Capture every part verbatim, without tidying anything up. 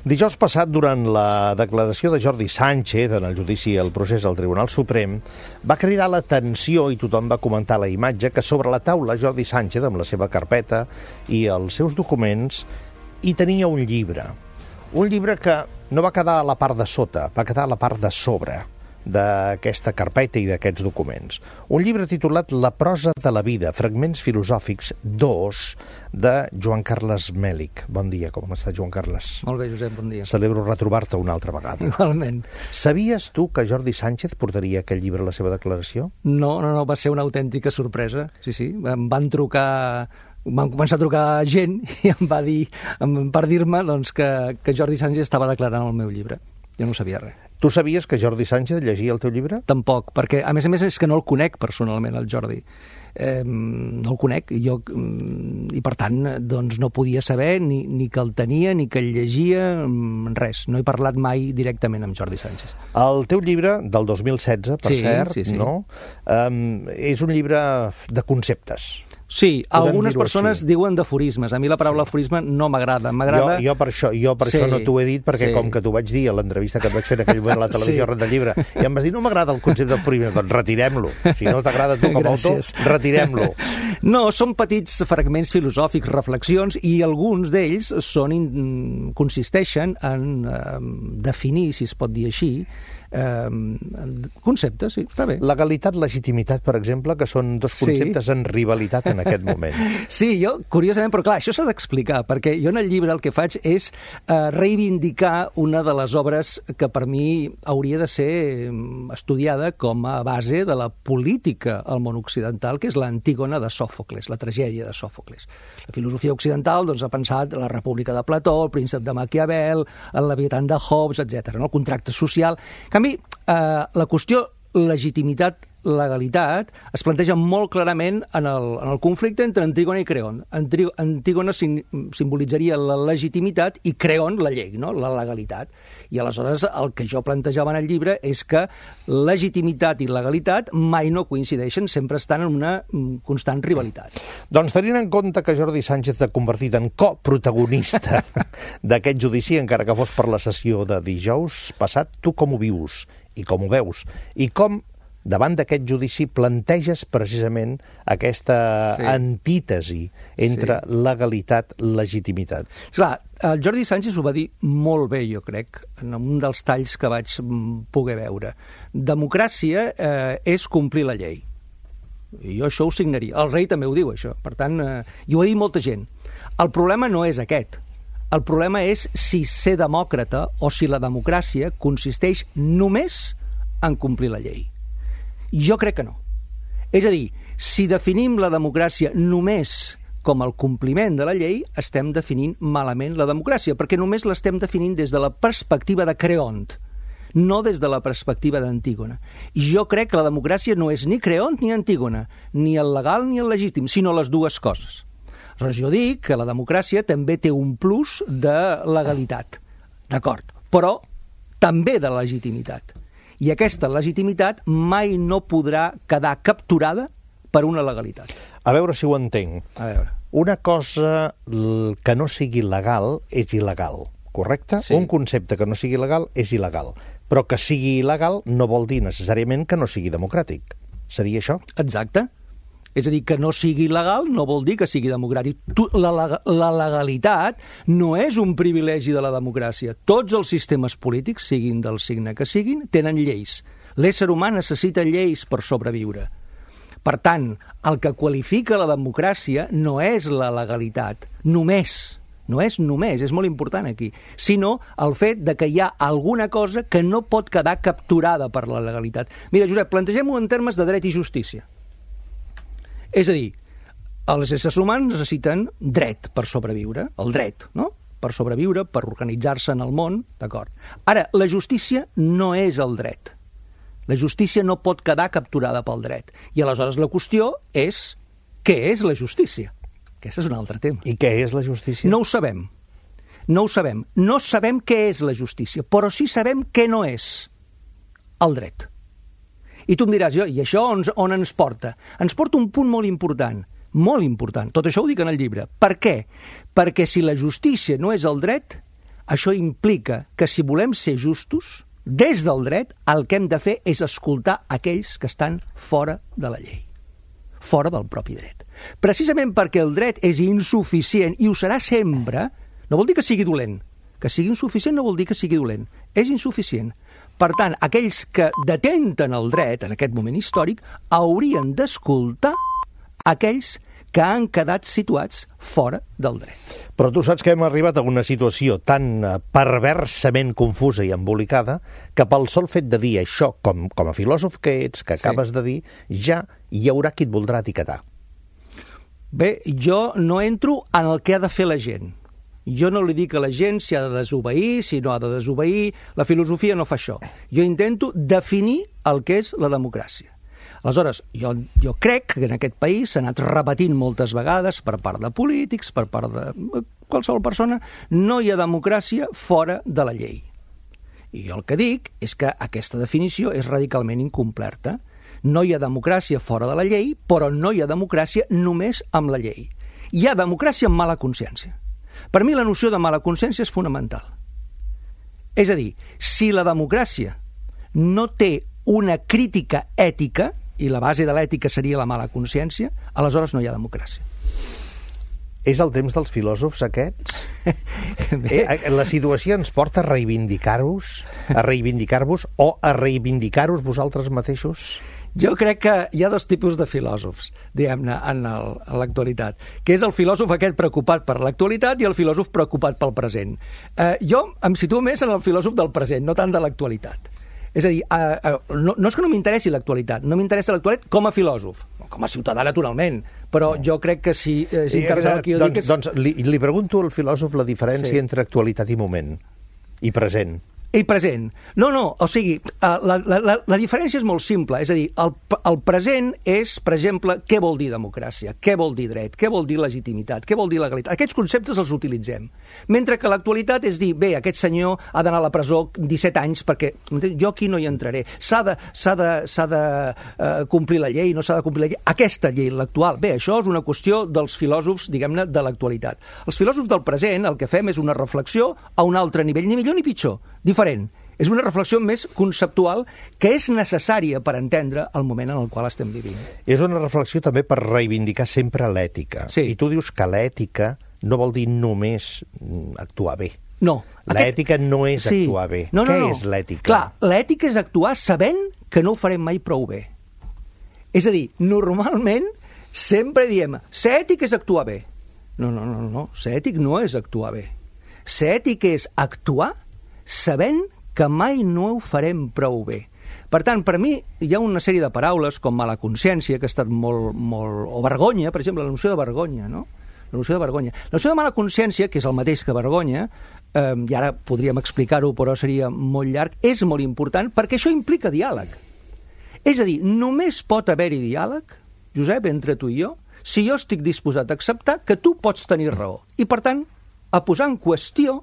Dijous passat, durant la declaració de Jordi Sánchez en el judici al procés al Tribunal Suprem, va cridar l'atenció i tothom va comentar la imatge que sobre la taula Jordi Sánchez, amb la seva carpeta i els seus documents, hi tenia un llibre. Un llibre que no va quedar a la part de sota, va quedar a la part de sobre d'aquesta carpeta i d'aquests documents. Un llibre titulat La prosa de la vida, fragments filosòfics dos, de Joan Carles Mèlich. Bon dia, com està, Joan Carles? Molt bé, Josep, bon dia. Celebro retrobar-te una altra vegada. Igualment. Sabies tu que Jordi Sánchez portaria aquell llibre a la seva declaració? No, no, no, va ser una autèntica sorpresa. Sí, sí, em van trucar... Van començar a trucar gent i em va dir, per dir-me doncs, que, que Jordi Sánchez estava declarant el meu llibre. Jo no sabia res. Tu sabies que Jordi Sánchez llegia el teu llibre? Tampoc, perquè a més a més és que no el conec personalment, el Jordi. Eh, no el conec, i, jo, i per tant doncs, no podia saber ni, ni que el tenia, ni que el llegia, res. No he parlat mai directament amb Jordi Sánchez. El teu llibre, del dos mil setze, per sí, cert, sí, sí. no? Um, és un llibre de conceptes. Sí, algunes persones així. Diuen d'aforismes. A mi la paraula sí. aforisme no m'agrada. M'agrada... Jo, jo per, això, jo per sí. això no t'ho he dit, perquè sí. com que t'ho vaig dir a l'entrevista que et vaig fer en aquell moment a la televisió sí. arran del llibre, i em vas dir, no m'agrada el concepte d'aforisme, doncs retirem-lo. Si no t'agrada tu com a autor, retirem-lo. No, són petits fragments filosòfics, reflexions, i alguns d'ells són in... consisteixen en eh, definir, si es pot dir així, eh, conceptes, sí, està bé. Legalitat, legitimitat, per exemple, que són dos conceptes sí. en rivalitat en aquest moment. Sí, jo, curiosament, però clar, això s'ha d'explicar, perquè jo en el llibre el que faig és eh, reivindicar una de les obres que per mi hauria de ser estudiada com a base de la política al món occidental, que és l'Antígona de Sòfocles, la tragèdia de Sòfocles. La filosofia occidental doncs, ha pensat la República de Plató, el príncep de Maquiavel, el Leviatan de Hobbes, etcètera, no? El contracte social. En canvi, eh, la qüestió legitimitat, legalitat, es planteja molt clarament en el, en el conflicte entre Antígona i Creont. Antígona sim, simbolitzaria la legitimitat i Creont la llei, no? La legalitat. I aleshores el que jo plantejava en el llibre és que legitimitat i legalitat mai no coincideixen, sempre estan en una constant rivalitat. Doncs tenint en compte que Jordi Sánchez s'ha convertit en coprotagonista d'aquest judici, encara que fos per la sessió de dijous passat, tu com ho vius i com ho veus? I com davant d'aquest judici planteges precisament aquesta sí. antítesi entre sí. legalitat i legitimitat. Clar, el Jordi Sánchez ho va dir molt bé, jo crec, en un dels talls que vaig poder veure. Democràcia eh, és complir la llei. I jo això ho signaria. El rei també ho diu, això. Per tant, eh, i ho ha dit molta gent. El problema no és aquest. El problema és si ser demòcrata o si la democràcia consisteix només en complir la llei. Jo crec que no. És a dir, si definim la democràcia només com el compliment de la llei, estem definint malament la democràcia, perquè només l'estem definint des de la perspectiva de Creont, no des de la perspectiva d'Antígona. I jo crec que la democràcia no és ni Creont ni Antígona, ni el legal ni el legítim, sinó les dues coses. Aleshores, jo dic que la democràcia també té un plus de legalitat, d'acord, però també de legitimitat. I aquesta legitimitat mai no podrà quedar capturada per una legalitat. A veure si ho entenc. A veure. Una cosa que no sigui legal és il·legal, correcte? Sí. Un concepte que no sigui legal és il·legal, però que sigui il·legal no vol dir necessàriament que no sigui democràtic. Seria això? Exacte. És a dir, que no sigui legal no vol dir que sigui democràtic. La, la, la legalitat no és un privilegi de la democràcia. Tots els sistemes polítics, siguin del signe que siguin, tenen lleis. L'ésser humà necessita lleis per sobreviure. Per tant, el que qualifica la democràcia no és la legalitat, només. No és només, és molt important aquí, sinó el fet de que hi ha alguna cosa que no pot quedar capturada per la legalitat. Mira, Josep, plantegem-ho en termes de dret i justícia. És a dir, els éssers humans necessiten dret per sobreviure, el dret, no? Per sobreviure, per organitzar-se en el món, d'acord. Ara, la justícia no és el dret. La justícia no pot quedar capturada pel dret. I aleshores la qüestió és què és la justícia? Aquest és un altre tema. I què és la justícia? No ho sabem. No ho sabem. No sabem què és la justícia, però sí sabem què no és el dret. I tu em diràs, jo, i això on, on ens porta? Ens porta un punt molt important, molt important. Tot això ho dic en el llibre. Per què? Perquè si la justícia no és el dret, Això implica que si volem ser justos, des del dret, el que hem de fer és escoltar aquells que estan fora de la llei, fora del propi dret. Precisament perquè el dret és insuficient, i ho serà sempre, no vol dir que sigui dolent. Que sigui insuficient no vol dir que sigui dolent. És insuficient. Per tant, aquells que detenten el dret en aquest moment històric haurien d'escoltar aquells que han quedat situats fora del dret. Però tu saps que hem arribat a una situació tan perversament confusa i embolicada que pel sol fet de dir això, com, com a filòsof que ets, que acabes sí. de dir, ja hi haurà qui et voldrà etiquetar. Bé, jo no entro en el que ha de fer la gent. Jo no li dic a la gent si ha de desobeir, si no ha de desobeir. La filosofia no fa això. Jo intento definir el que és la democràcia. Aleshores, jo, jo crec que en aquest país s'ha anat repetint moltes vegades per part de polítics, per part de qualsevol persona, no hi ha democràcia fora de la llei. I jo el que dic és que aquesta definició és radicalment incomplerta. No hi ha democràcia fora de la llei, però no hi ha democràcia només amb la llei. Hi ha democràcia amb mala consciència. Per mi la noció de mala consciència és fonamental. És a dir, si la democràcia no té una crítica ètica, i la base de l'ètica seria la mala consciència, aleshores no hi ha democràcia. És el temps dels filòsofs aquests? eh, la situació ens porta a reivindicar-vos, a reivindicar-vos o a reivindicar-vos vosaltres mateixos? Jo crec que hi ha dos tipus de filòsofs, diguem-ne, en, el, en l'actualitat, que és el filòsof aquest preocupat per l'actualitat i el filòsof preocupat pel present. Eh, jo em situo més en el filòsof del present, no tant de l'actualitat. És a dir, eh, eh, no, no és que no m'interessi l'actualitat, no m'interessa l'actualitat com a filòsof, com a ciutadà, naturalment, però no. Jo crec que si eh, s'interessa el que jo doncs, dic és... Doncs li, li pregunto al filòsof la diferència sí. entre actualitat i moment, i present. I present. No, no, o sigui, la, la, la, la diferència és molt simple. És a dir, el, el present és, per exemple, què vol dir democràcia, què vol dir dret, què vol dir legitimitat, què vol dir legalitat. Aquests conceptes els utilitzem. Mentre que l'actualitat és dir, bé, aquest senyor ha d'anar a la presó disset anys perquè jo aquí no hi entraré. S'ha de, s'ha de, s'ha de uh, complir la llei, no s'ha de complir la llei. Aquesta llei, l'actual. Bé, això és una qüestió dels filòsofs, diguem-ne, de l'actualitat. Els filòsofs del present el que fem és una reflexió a un altre nivell, ni millor ni pitjor, diferent. És una reflexió més conceptual que és necessària per entendre el moment en el qual estem vivint. És una reflexió també per reivindicar sempre l'ètica. Sí. I tu dius que l'ètica no vol dir només actuar bé. No. L'ètica aquest... no és sí. actuar bé. No, no, Què no. és l'ètica? Clar, l'ètica és actuar sabent que no ho farem mai prou bé. És a dir, normalment sempre diem ser ètic és actuar bé. No, no, no, no. Ser ètic no és actuar bé. Ser ètic és actuar sabent que mai no ho farem prou bé. Per tant, per mi hi ha una sèrie de paraules com mala consciència, que ha estat molt, molt... o vergonya, per exemple, la noció de vergonya, no? La noció de vergonya. La noció de mala consciència, que és el mateix que vergonya, eh, i ara podríem explicar-ho, però seria molt llarg, és molt important perquè això implica diàleg. És a dir, només pot haver-hi diàleg, Josep, entre tu i jo, si jo estic disposat a acceptar que tu pots tenir raó. I, per tant, a posar en qüestió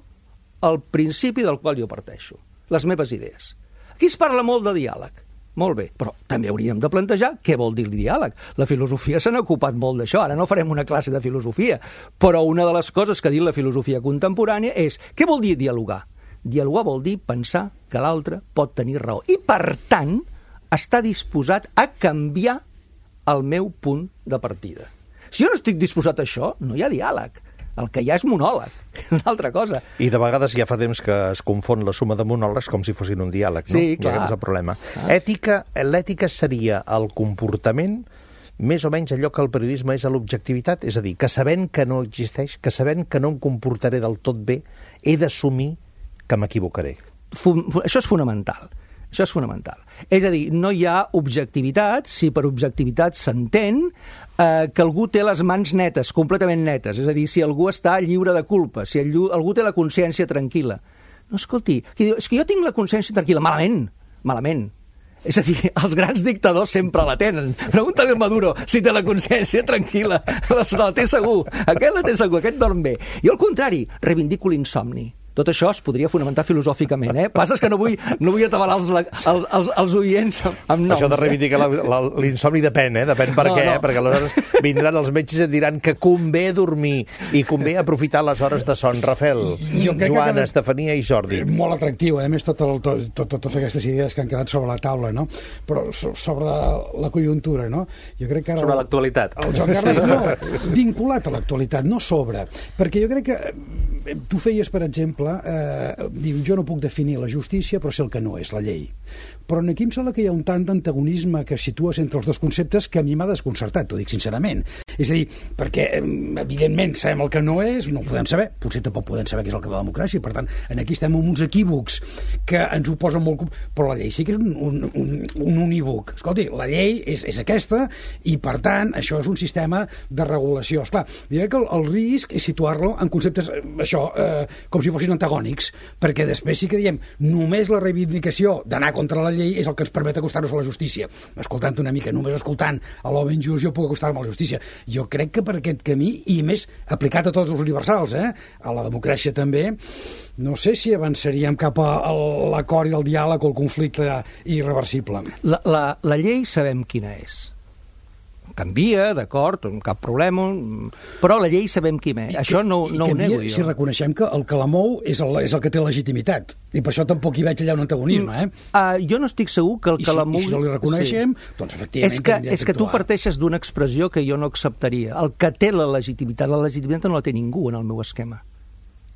el principi del qual jo parteixo, les meves idees. Aquí es parla molt de diàleg. Molt bé, però també hauríem de plantejar què vol dir el diàleg. La filosofia se n'ha ocupat molt d'això, ara no farem una classe de filosofia, però una de les coses que ha dit la filosofia contemporània és què vol dir dialogar? Dialogar vol dir pensar que l'altre pot tenir raó i, per tant, està disposat a canviar el meu punt de partida. Si jo no estic disposat a això, no hi ha diàleg. El que hi ha és monòleg, una altra cosa. I de vegades ja fa temps que es confon la suma de monòlegs com si fossin un diàleg, no? Sí, clar. I aquest és el problema. Ah. Ètica, l'ètica seria el comportament més o menys allò que el periodisme és a l'objectivitat, és a dir, que sabent que no existeix, que sabent que no em comportaré del tot bé, he d'assumir que m'equivocaré. Això és fonamental. Això és fonamental. És a dir, no hi ha objectivitat, si per objectivitat s'entén eh, que algú té les mans netes, completament netes, és a dir, si algú està lliure de culpa, si algú té la consciència tranquil·la. No, escolti, és que jo tinc la consciència tranquil·la, malament, malament. És a dir, els grans dictadors sempre la tenen. Pregunta-li a Maduro si té la consciència tranquil·la. La té segur. Aquest la té segur, aquest dorm bé. Jo, al contrari, reivindico l'insomni. Tot això es podria fonamentar filosòficament, eh? Passa que no vull, no vull atabalar els, els, els, els oients amb, amb noms. Això de reivindicar eh? l'insomni depèn, eh? Depèn per no, què, no. Perquè aleshores vindran els metges i et diran que convé dormir i convé aprofitar les hores de son. Rafael, Joan, Estefania i Jordi. Molt atractiu, a més, totes tot, tot, tot, tot aquestes idees que han quedat sobre la taula, no? Però sobre la conjuntura, no? Jo crec que ara... Sobre l'actualitat. El Joan Carles, no, vinculat a l'actualitat, no sobre. Perquè jo crec que tu feies, per exemple, Eh, diu, jo no puc definir la justícia, però sé el que no és la llei. Però aquí em sembla que hi ha un tant d'antagonisme que situes entre els dos conceptes que a mi m'ha desconcertat, t'ho dic sincerament. És a dir, perquè evidentment sabem el que no és, no ho podem saber, potser tampoc podem saber què és el que és la democràcia, per tant, aquí estem amb uns equívocs que ens ho posen molt... Però la llei sí que és un, un, un, un unívoc. Escolti, la llei és, és aquesta i, per tant, això és un sistema de regulació. Esclar, jo crec que el, el risc és situar-lo en conceptes, això, eh, com si fossin antagònics, perquè després sí que diem només la reivindicació d'anar contra la llei és el que ens permet acostar-nos a la justícia. Escoltant una mica, només escoltant a l'home injust jo puc acostar-me a la justícia. Jo crec que per aquest camí, i més aplicat a tots els universals, eh? A la democràcia també, no sé si avançaríem cap a l'acord i el diàleg o el conflicte irreversible. La, la, la llei sabem quina és. Canvia, d'acord, cap problema, però la llei sabem quina és. Això no, no ho nego jo. Si reconeixem que el que la mou és el, és el que té legitimitat, i per això tampoc hi veig allà un antagonisme, eh? Uh, jo no estic segur que el I que si, la mou... I si no li reconeixem, sí. Doncs efectivament... És que, és que tu parteixes d'una expressió que jo no acceptaria. El que té la legitimitat, la legitimitat no la té ningú en el meu esquema.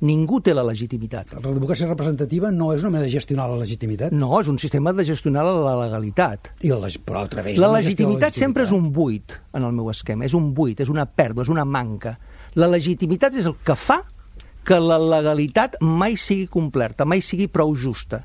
Ningú té la legitimitat. La democràcia representativa no és una manera de gestionar la legitimitat? No, és un sistema de gestionar la legalitat. I la, però altra vegada... La legitimitat sempre és un buit en el meu esquema. És un buit, és una pèrdua, és una manca. La legitimitat és el que fa que la legalitat mai sigui complerta, mai sigui prou justa.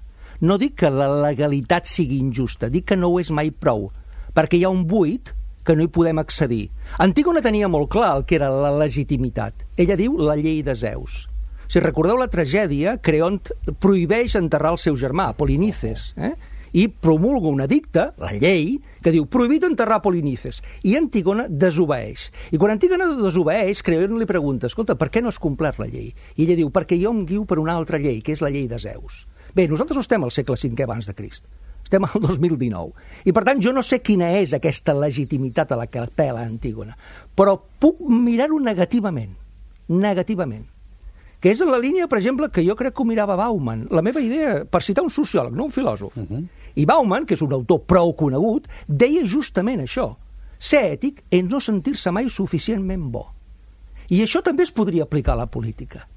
No dic que la legalitat sigui injusta, dic que no ho és mai prou, perquè hi ha un buit que no hi podem accedir. Antígona tenia molt clar el que era la legitimitat. Ella diu la llei de Zeus. Si recordeu la tragèdia, Creont prohibeix enterrar el seu germà, Polinices, eh? I promulga un edicte, la llei, que diu prohibit enterrar Polinices. I Antígona desobeeix. I quan Antígona desobeeix, Creont li pregunta, escolta, per què no has complert la llei? I ella diu, perquè jo em guio per una altra llei, que és la llei de Zeus. Bé, nosaltres no estem al segle cinquè abans de Crist. Estem al dos mil dinou. I, per tant, jo no sé quina és aquesta legitimitat a la que apel·la Antígona, però puc mirar-ho negativament. Negativament. Que és en la línia, per exemple, que jo crec que ho mirava Bauman. La meva idea, per citar un sociòleg, no un filòsof. Uh-huh. I Bauman, que és un autor prou conegut, deia justament això. Ser ètic és no sentir-se mai suficientment bo. I això també es podria aplicar a la política.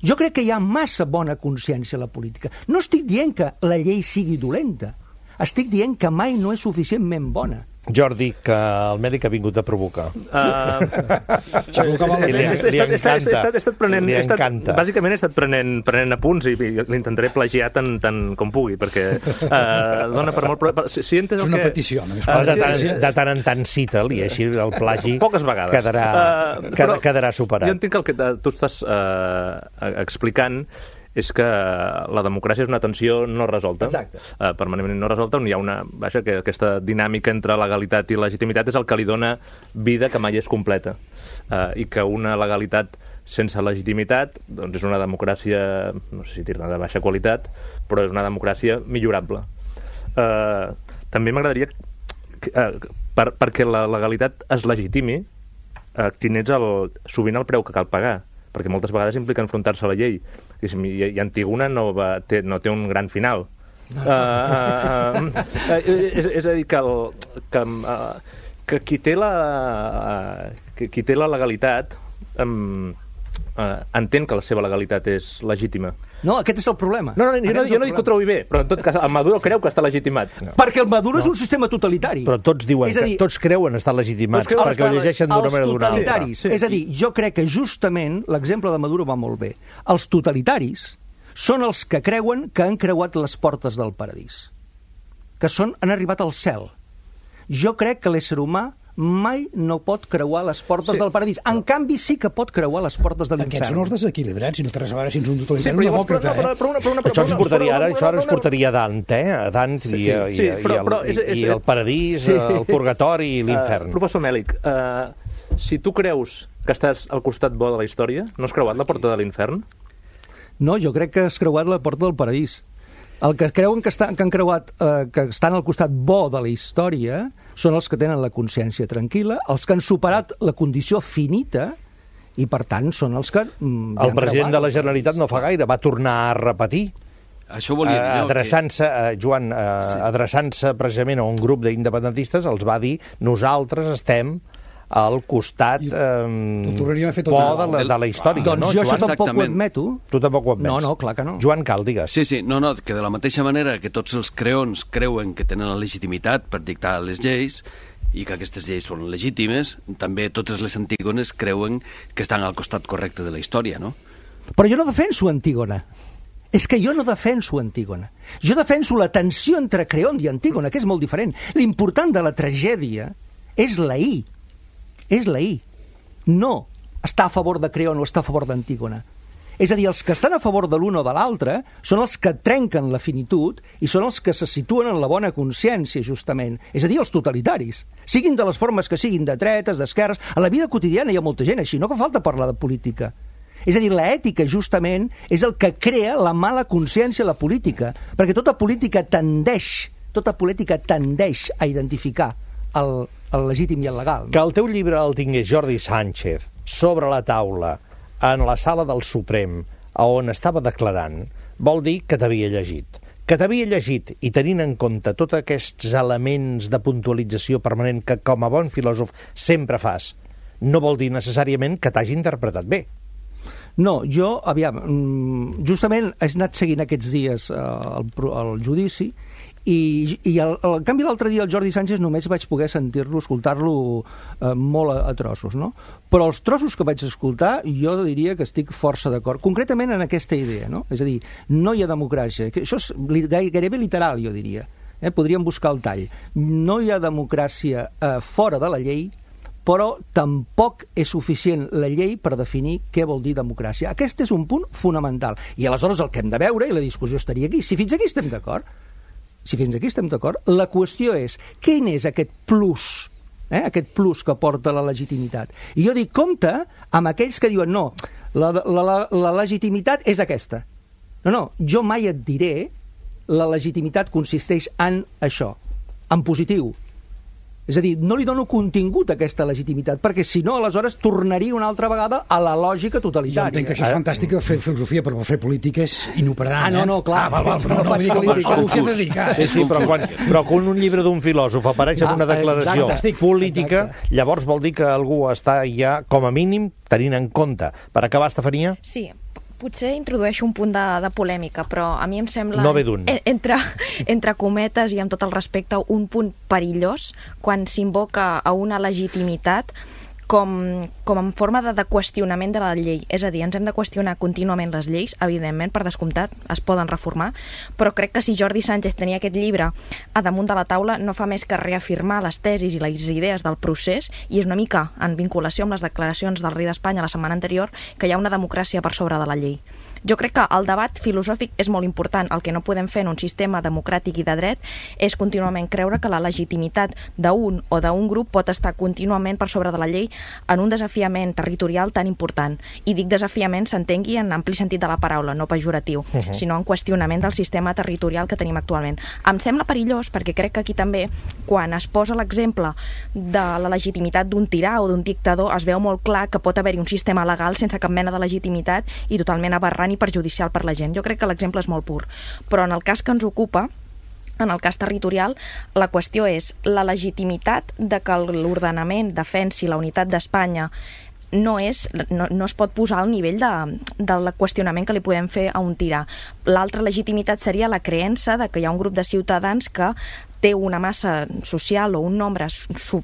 Jo crec que hi ha massa bona consciència a la política. No estic dient que la llei sigui dolenta. Estic dient que mai no és suficientment bona. Jordi, que el mèdic ha vingut a provocar. Uh, li, li encanta. He estat prenent, li encanta. Bàsicament he estat prenent, prenent apunts i, i l'intentaré plagiar tant, tant com pugui, perquè uh, dona per molt... Però, si, si és una que, petició. No? Uh, de, tant, de tant en tant cita'l i així el plagi poques vegades. Quedarà, uh, quedarà, quedarà superat. Jo entenc que el que tu estàs uh, explicant és que la democràcia és una tensió no resolta, uh, permanentment no resolta, on hi ha una... Vaja, que aquesta dinàmica entre legalitat i legitimitat és el que li dona vida que mai és completa. Uh, I que una legalitat sense legitimitat doncs és una democràcia, no sé si dir-ne de baixa qualitat, però és una democràcia millorable. Uh, també m'agradaria, uh, per, perquè la legalitat es legitimi, uh, quin és el, sovint el preu que cal pagar, perquè moltes vegades implica enfrontar-se a la llei. I, i Antígona no, va, té, no té un gran final. No. Uh, uh, uh, és, és a dir, que, el, que, uh, que qui, té la, uh, que qui té la legalitat um, uh, entén que la seva legalitat és legítima. No, aquest és el problema. No, no, jo no, jo no dic que ho trobi bé, però en tot cas el Maduro creu que està legitimat. No. Perquè el Maduro no. és un sistema totalitari. Però tots diuen dir, que tots creuen estar legitimats, perquè estar, ho llegeixen d'una manera o d'una altra. Sí. És a dir, jo crec que justament l'exemple de Maduro va molt bé. Els totalitaris són els que creuen que han creuat les portes del paradís, que són, han arribat al cel. Jo crec que l'ésser humà mai no pot creuar les portes sí. del paradís. En canvi, sí que pot creuar les portes de l'infern. Aquests són els desequilibrats, si no té res a veure si ets un totalitari sí, un demòcrata, eh? Això ens portaria ara, això ara ens portaria a Dante, eh? A Dante i, sí, sí, i, però, i, el, però és, és, i el paradís, sí. el purgatori i l'infern. Uh, professor Mèlic, uh, si tu creus que estàs al costat bo de la història, no has creuat la porta de l'infern? No, jo crec que has creuat la porta del paradís. El que creuen que, està, que han creuat, eh, que estan al costat bo de la història, són els que tenen la consciència tranquil·la, els que han superat la condició finita, i per tant són els que... Mm, el president de la Generalitat no fa gaire va tornar a repetir, això volia dir jo, adreçant-se, que... eh, Joan, eh, sí. adreçant-se precisament a un grup d'independentistes, els va dir, nosaltres estem al costat eh, bo de la, de la història. Doncs no, jo Joan? això tampoc ho admeto. Tu tampoc ho admets. No, no, clar que no. Joan Cal, digues. Sí, sí, no, no, que de la mateixa manera que tots els creons creuen que tenen la legitimitat per dictar les lleis i que aquestes lleis són legítimes, també totes les Antígones creuen que estan al costat correcte de la història, no? Però jo no defenso Antígona. És que jo no defenso Antígona. Jo defenso la tensió entre Creont i Antígona, que és molt diferent. L'important de la tragèdia és la I. És la I. No està a favor de Creont o està a favor d'Antígona. És a dir, els que estan a favor de l'un o de l'altre són els que trenquen la finitud i són els que se situen en la bona consciència, justament. És a dir, els totalitaris. Siguin de les formes que siguin, de dretes, d'esquerres. A la vida quotidiana hi ha molta gent així, no fa falta parlar de política. És a dir, l'ètica, justament, és el que crea la mala consciència a la política, perquè tota política tendeix, tota política tendeix a identificar el, el legítim i el legal. No? Que el teu llibre el tingués Jordi Sànchez sobre la taula en la sala del Suprem, on estava declarant, vol dir que t'havia llegit. Que t'havia llegit i tenint en compte tots aquests elements de puntualització permanent que com a bon filòsof sempre fas, no vol dir necessàriament que t'hagi interpretat bé. No, jo, aviam, justament he anat seguint aquests dies eh, el, el judici i, i el, el, en canvi l'altre dia el Jordi Sànchez només vaig poder sentir-lo, escoltar-lo eh, molt a, a trossos, no? Però els trossos que vaig escoltar jo diria que estic força d'acord, concretament en aquesta idea, no? És a dir, no hi ha democràcia, que això és gairebé literal, jo diria, eh? Podríem buscar el tall. No hi ha democràcia eh, fora de la llei, però tampoc és suficient la llei per definir què vol dir democràcia. Aquest és un punt fonamental. I aleshores el que hem de veure, i la discussió estaria aquí, si fins aquí estem d'acord, si fins aquí estem d'acord, la qüestió és quin és aquest plus, eh? aquest plus que porta la legitimitat. I jo dic, compte amb aquells que diuen no, la, la, la, la legitimitat és aquesta. No, no, jo mai et diré la legitimitat consisteix en això, en positiu. És a dir, no li dono contingut a aquesta legitimitat, perquè si no, aleshores tornaria una altra vegada a la lògica totalitària. Jo entenc que això és fantàstic, fer filosofia, però fer política és inoperant. Ah, no, no, clar. Ah, val, val, però no, no faig política. No ho dedicar. Sí, sí, però quan, però quan un llibre d'un filòsof apareix en una declaració política, llavors vol dir que algú està ja, com a mínim, tenint en compte. Per acabar, Estefania? Sí, potser introdueixo un punt de, de polèmica, però a mi em sembla, no ve d'un. entre, entre cometes i amb tot el respecte, un punt perillós quan s'invoca a una legitimitat com, com en forma de, de qüestionament de la llei. És a dir, ens hem de qüestionar contínuament les lleis, evidentment, per descomptat, es poden reformar, però crec que si Jordi Sànchez tenia aquest llibre a damunt de la taula no fa més que reafirmar les tesis i les idees del procés, i és una mica en vinculació amb les declaracions del rei d'Espanya la setmana anterior, que hi ha una democràcia per sobre de la llei. Jo crec que el debat filosòfic és molt important. El que no podem fer en un sistema democràtic i de dret és contínuament creure que la legitimitat d'un o d'un grup pot estar contínuament per sobre de la llei en un desafiament territorial tan important. I dic desafiament, s'entengui en ampli sentit de la paraula, no pejoratiu, uh-huh. sinó en qüestionament del sistema territorial que tenim actualment. Em sembla perillós perquè crec que aquí també, quan es posa l'exemple de la legitimitat d'un tirà o d'un dictador, es veu molt clar que pot haver-hi un sistema legal sense cap mena de legitimitat i totalment aberrant i perjudicial per la gent. Jo crec que l'exemple és molt pur. Però en el cas que ens ocupa, en el cas territorial, la qüestió és la legitimitat de que l'ordenament defensi la unitat d'Espanya no, és, no, no es pot posar al nivell de, del qüestionament que li podem fer a un tirà. L'altra legitimitat seria la creença de que hi ha un grup de ciutadans que té una massa social o un nombre su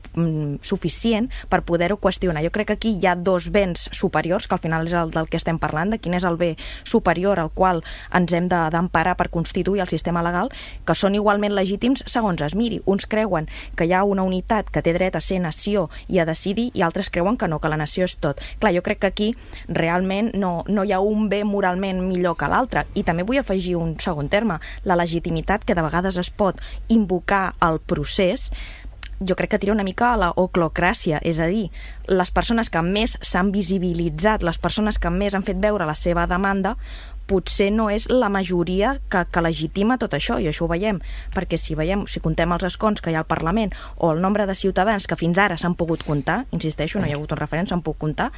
suficient per poder-ho qüestionar. Jo crec que aquí hi ha dos béns superiors, que al final és el del que estem parlant, de quin és el bé superior al qual ens hem d'emparar per constituir el sistema legal, que són igualment legítims segons es miri. Uns creuen que hi ha una unitat que té dret a ser nació i a decidir, i altres creuen que no, que la nació és tot. Clar, jo crec que aquí realment no, no hi ha un bé moralment millor que l'altre. I també vull afegir un segon terme, la legitimitat, que de vegades es pot invocar el procés, jo crec que tira una mica a la oclocràcia, és a dir, les persones que més s'han visibilitzat, les persones que més han fet veure la seva demanda, potser no és la majoria que, que legitima tot això, i això ho veiem, perquè si veiem, si contem els escons que hi ha al Parlament o el nombre de ciutadans que fins ara s'han pogut comptar, insisteixo, no hi ha hagut un referèndum, s'han pogut comptar,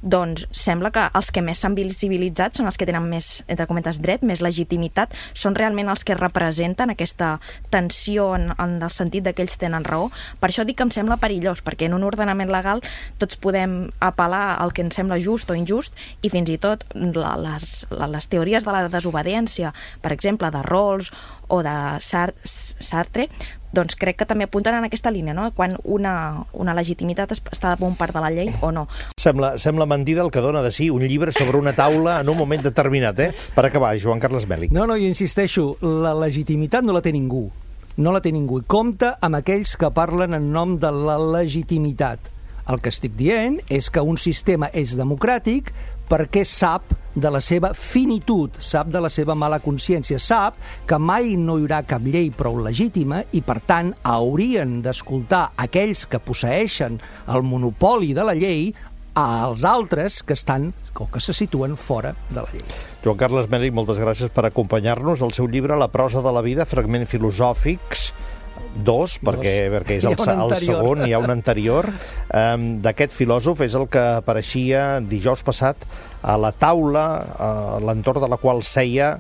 doncs sembla que els que més s'han visibilitzat són els que tenen més, entre cometes, dret, més legitimitat, són realment els que representen aquesta tensió en, en el sentit que ells tenen raó. Per això dic que em sembla perillós, perquè en un ordenament legal tots podem apel·lar al que ens sembla just o injust, i fins i tot la, les, les teories de la desobediència, per exemple, de Rawls o de Sartre, doncs crec que també apunten en aquesta línia, no? Quan una, una legitimitat està de bon part de la llei o no. Sembla, sembla mentida el que dona de si un llibre sobre una taula en un moment determinat, eh? Per acabar, Joan Carles Mèlich. No, no, jo insisteixo, la legitimitat no la té ningú. No la té ningú. I compta amb aquells que parlen en nom de la legitimitat. El que estic dient és que un sistema és democràtic perquè sap de la seva finitud, sap de la seva mala consciència, sap que mai no hi haurà cap llei prou legítima i, per tant, haurien d'escoltar aquells que posseeixen el monopoli de la llei als altres que estan o que se situen fora de la llei. Joan Carles Mèlich, moltes gràcies per acompanyar-nos. El seu llibre, La prosa de la vida, fragments filosòfics, dos, perquè, perquè és el, el segon, hi ha un anterior, um, d'aquest filòsof, és el que apareixia dijous passat a la taula a l'entorn de la qual seia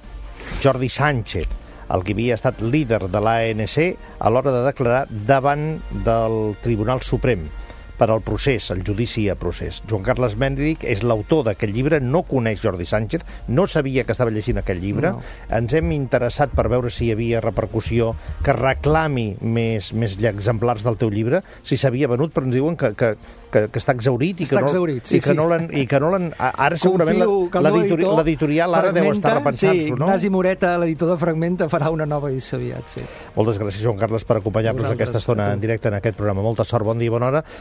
Jordi Sánchez, el que havia estat líder de l'A N C a l'hora de declarar davant del Tribunal Suprem per al procés, el judici a procés. Joan Carles Mèlich és l'autor d'aquest llibre, no coneix Jordi Sánchez, no sabia que estava llegint aquest llibre, no. Ens hem interessat per veure si hi havia repercussió, que reclami més, més exemplars del teu llibre, si s'havia venut, però ens diuen que, que, que, que està exaurit i està que no, exaurit, sí, i que sí. no l'han... I que no l'han ara segurament l'editorial ara deu estar repensant-s'ho, sí, no? Ignasi Moreta, l'editor de Fragmenta, farà una nova edició aviat, sí. Moltes gràcies, Joan Carles, per acompanyar-nos aquesta estona en directe en aquest programa. Molta sort, bon dia i bona hora.